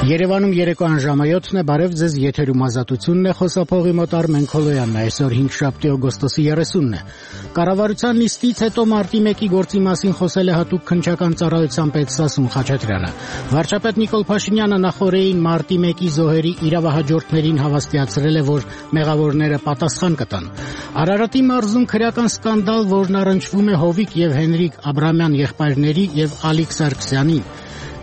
Երևանում երեկոյան ժամը 7-ն է, բարև ձեզ, եթերում Ազատությունն է, խոսափողի մոտ Արմեն Քոլոյանն է, այսօր 5 օգոստոսի 30-ն է։ Կառավարության նիստից հետո մարտի 1-ի գործի մասին խոսել է հատուկ քննչական ծառայության պետ Սասուն Խաչատրյանը։ Վարչապետ Նիկոլ Փաշինյանը նախօրեին մարտի 1-ի զոհերի իրավահաջորդներին հավաստիացրել է, որ մեղավորները պատասխան կտան։ Արարատի մարզում քրեական սկանդալ, որն առնչվում է Հովիկ եւ Հենրիկ Աբրամյան եղբայրների եւ Ալիկ Սարգսյանի։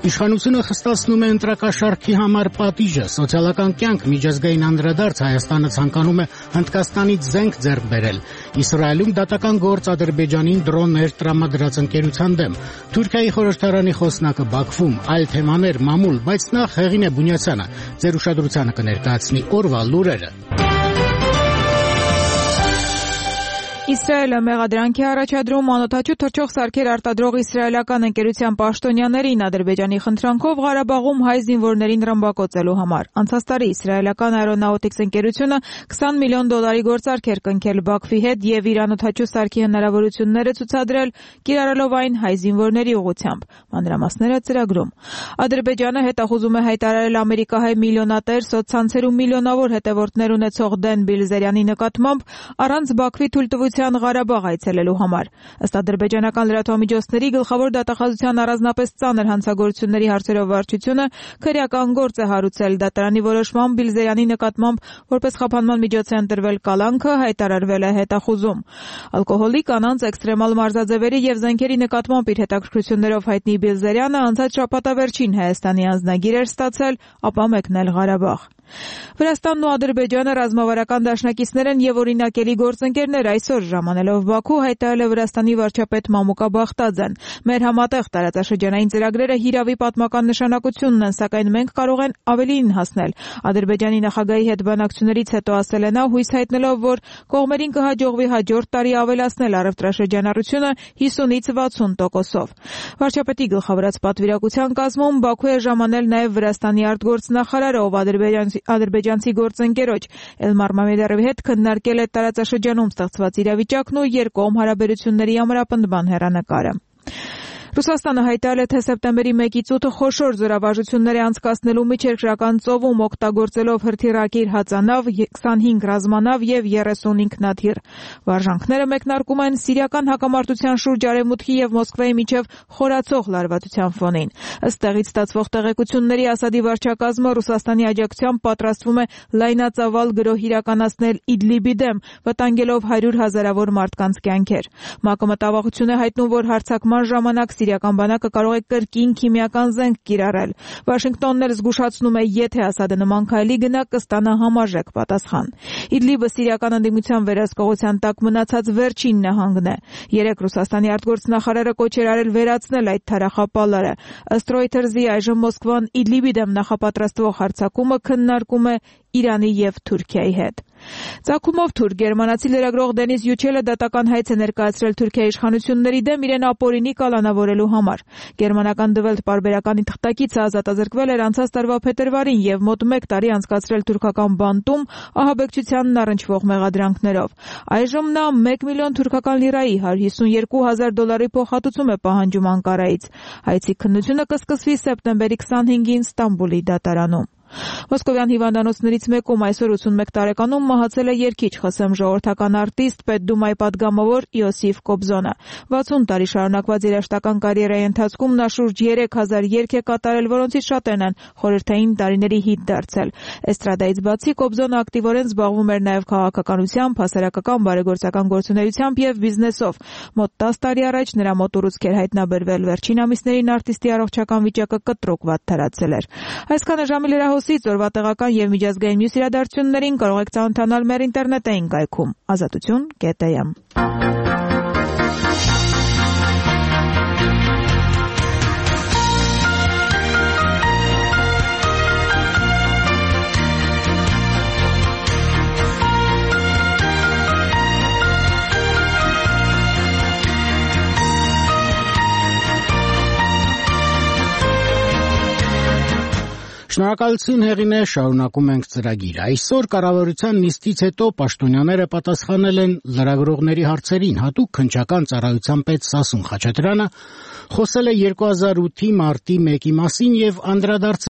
Իշխանությունը խստացնում է ընտրակաշառքի համար պատիժը, սոցիալական կյանք, միջազգային անդրադարձ, Հայաստանը ցանկանում է Հնդկաստանից զենք ձեռք բերել։ Իսրայելում դատական գործ Ադրբեջանին դրոններ տրամադրած ընկերության դեմ։ Թուրքիայի խորհրդարանի խոսնակը Բաքվում, այլ թեմաներ, մամուլ, բայց նախ Հեղինե Բունյացյանը ձեր ուշադրությանը կներկայացնի օրվա լուրերը։ Իսրայելը մեղադրանքի առաջադրում անօդաչու թռչող սարքեր արտադրող իսրայելական ընկերության պաշտոնյաներին Ադրբեջանի խնդրանքով Ղարաբաղում հայ զինվորներին ռմբակոծելու համար։ Անցած տարի իսրայելական Aeronautics ընկերությունը $20 միլիոն գործարք էր կնքել Բաքվի հետ եւ իր անօդաչու սարքի հնարավորությունները ցուցադրել, կիրառելով այն հայ զինվորների ուղղությամբ։ Մանրամասները ծրագրում։ Ադրբեջանը հետախուզում է հայտարարել ամերիկահայ միլիոնատեր սոցցանցերում միլիոնավոր հետևորդներ ունեցող Դեն Բիլզերյանի նկատմամբ առանց Բաքվի թույլտվության Ղարաբաղ այցելելու համար։ Ըստ ադրբեջանական լրատվամիջոցների գլխավոր դատախազության առանձնապես ծանր հանցագործությունների հարցերով վարչությունը քրեական գործ է հարուցել դատարանի որոշմամբ Բիլզերյանի նկատմամբ որպես խափանման միջոց է ընտրվել կալանքը, հայտարարվել է հետախուզում։ Ալկոհոլի, կանանց, էքստրեմալ մարզաձևերի եւ զենքերի նկատմամբ իր հետաքրքրություններով հայտնի Բիլզերյանը անցած շաբաթավերջին Հայաստանի անձնագիր էր ստացել, ապա մեկնել Ղարաբաղ։ Վրաստանն ու Ադրբեջանը ռազմավարական դաշնակիցներ են եւ օրինակելի գործընկերներ։ Այսօր ժամանելով Բաքու հայտարարել է Վրաստանի վարչապետ Մամուկա Բախտաձեն։ Մեր համատեղ տարածաշրջանային ծրագրերը հիրավի պատմական նշանակությունն են, սակայն մենք կարող են ավելին հասնել։ Ադրբեջանի նախագահի հետ բանակցություններից հետո ասել է նա, հույս հայտնելով, որ կողմերին կհաջողվի հաջորդ տարի ավելացնել առևտրաշրջանառությունը 50-ից 60%-ով։ Վարչապետի գլխավորած պատվիրակության կազմում Բաքու է ժամանել նաեւ Վրաստանի արտգործնախարարը, ով ադրբեջանցի գործընկերոջ Էլմար Մամեդարովի հետ քննարկել է տարածաշրջանում ստեղծված իրավիճակն ու երկկողմ հարաբերությունների ամրապնդման հեռանկարը։ Ռուսաստանը հայտարարել է, թե սեպտեմբերի 1-ից 8-ը խոշոր զորավարժություններ է անցկացնելու Միջերկրական ծովում, օգտագործելով հրթիռակիր հածանավ, 25 ռազմանավ եւ 30 ինքնաթիռ։ Վարժանքները մեկնարկում են սիրիական հակամարտության շուրջ Արևմուտքի եւ Մոսկվայի միջև խորացող լարվածության ֆոնին։ Ըստ տեղից ստացվող տեղեկությունների Ասադի վարչակազմը Ռուսաստանի աջակցությամբ պատրաստվում է լայնածավալ գրոհ իրականացնել Իդլիբի դեմ, վտանգելով 100,000-ավոր մարդկանց կյանքեր։ ՄԱԿ-ը մտավախություն է հայտնում, որ հարձակման ժամանակ սիրիական բանակը կարող է կրկին քիմիական զենք կիրառել։ Վաշինգտոնն էլ զգուշացնում է, եթե Ասադը նման քայլի գնա, կստանա համարժեք պատասխան։ Իդլիբը սիրիական ընդդիմության վերահսկողության տակ մնացած վերջին նահանգն է։ Երեկ Ռուսաստանի արտգործնախարարը կոչ էր արել վերացնել այդ թարախապալարը։ Ըստ Reuters-ի այժմ Մոսկվան Իդլիբի դեմ նախապատրաստվող հարձակումը քննարկում է Իրանի եւ Թուրքիայի հետ։ Ծագումով թուրք գերմանացի լրագրող Դենիս Յուչելը դատական հայց է ներկայացրել Թուրքիայի իշխանությունների դեմ իրեն ապօրինի կալանավորելու համար։ Գերմանական Դվելտ պարբերականի թղթակիցը ազատազրկվել էր անցած տարվա փետրվարին եւ մոտ 1 տարի անցկացրել թուրքական բանտում ահաբեկչությանն առնչվող մեղադրանքներով։ Այժմ նա 1 միլիոն թուրքական լիրայի $152,000 փոխհատուցում է պահանջում Անկարայից։ Հայցի քննությունը կսկսվի սեպտեմբերի 25-ին Ստամբուլի դատարանում։ Մոսկովյան հիվանդանոցներից մեկում այսօր 81 տարեկանում մահացել է երգիչ ԽՍՀՄ ժողովրդական արտիստ, Պետդումայի պատգամավոր Իոսիֆ Կոբզոնը։ 60 տարի շարունակված երաժշտական կարիերայի ընթացքում նա շուրջ 3000 երգ է կատարել, որոնցից շատերն են խորհրդային տարիների հիթ դարձել։ Էստրադայից բացի Կոբզոնը ակտիվորեն զբաղվում էր նաև քաղաքականությամբ, հասարակական բարեգործական գործունեությամբ եւ բիզնեսով։ Մոտ 10 տարի առաջ նրա մոտ ուռուցք էր հայտնաբերվել, վերջին ամիսներին արտիստի առողջական վիճակը կտրուկ վատթարացել էր։ Այսքանը ժամի լրահոսից օրվա տեղական եւ միջազգային մյուս իրադարձություններին կարող եք ծանոթանալ մեր ինտերնետային կայքում azatutun.am։ Շնորհակալություն Հեղինե, շարունակում ենք ծրագիրը։ Այսօր կառավարության նիստից հետո պաշտոնյաները պատասխանել են լրագրողների հարցերին։ Հատուկ քննչական ծառայության պետ Սասուն Խաչատրյանը խոսել է 2008-ի մարտի 1-ի մասին եւ անդրադարձել